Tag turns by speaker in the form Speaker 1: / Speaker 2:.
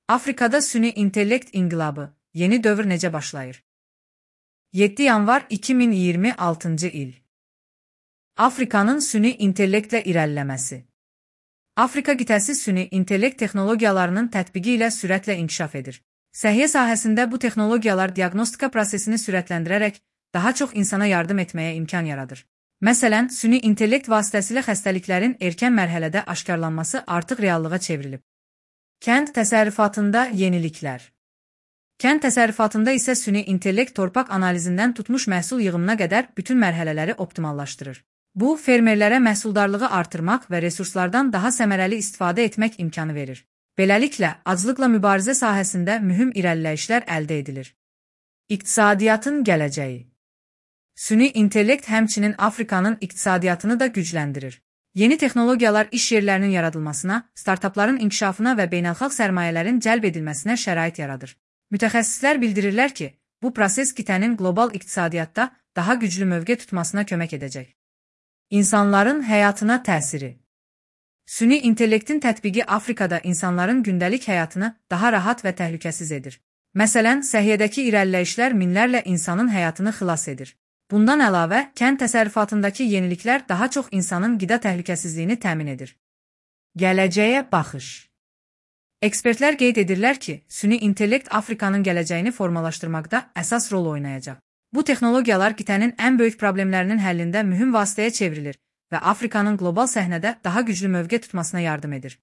Speaker 1: Afrikada süni intellekt inqilabı, yeni dövr necə başlayır? 7 yanvar 2026 il. Afrikanın süni intellektlə irəliləməsi. Afrika qitəsi süni intellekt texnologiyalarının tətbiqi ilə sürətlə inkişaf edir. Səhiyyə sahəsində bu texnologiyalar diaqnostika prosesini sürətləndirərək daha çox insana yardım etməyə imkan yaradır. Məsələn, süni intellekt vasitəsilə xəstəliklərin erkən mərhələdə aşkarlanması artıq reallığa çevrilib. Kənd təsərrüfatında yeniliklər. Kənd təsərrüfatında isə süni intellekt torpaq analizindən tutmuş məhsul yığımına qədər bütün mərhələləri optimallaşdırır. Bu, fermerlərə məhsuldarlığı artırmaq və resurslardan daha səmərəli istifadə etmək imkanı verir. Beləliklə, aclıqla mübarizə sahəsində mühüm irəliləyişlər əldə edilir. İqtisadiyyatın gələcəyi. Süni intellekt həmçinin Afrikanın iqtisadiyyatını da gücləndirir. Yeni texnologiyalar iş yerlərinin yaradılmasına, startapların inkişafına və beynəlxalq sərmayələrin cəlb edilməsinə şərait yaradır. Mütəxəssislər bildirirlər ki, bu proses qitənin qlobal iqtisadiyyatda daha güclü mövqe tutmasına kömək edəcək. İnsanların həyatına təsiri. Süni intellektin tətbiqi Afrikada insanların gündəlik həyatını daha rahat və təhlükəsiz edir. Məsələn, səhiyyədəki irəliləyişlər minlərlə insanın həyatını xilas edir. Bundan əlavə, kənd təsərrüfatındakı yeniliklər daha çox insanın qida təhlükəsizliyini təmin edir. Gələcəyə baxış. Ekspertlər qeyd edirlər ki, süni intellekt Afrikanın gələcəyini formalaşdırmaqda əsas rol oynayacaq. Bu texnologiyalar qitənin ən böyük problemlərinin həllində mühüm vasitəyə çevrilir və Afrikanın qlobal səhnədə daha güclü mövqe tutmasına yardım edir.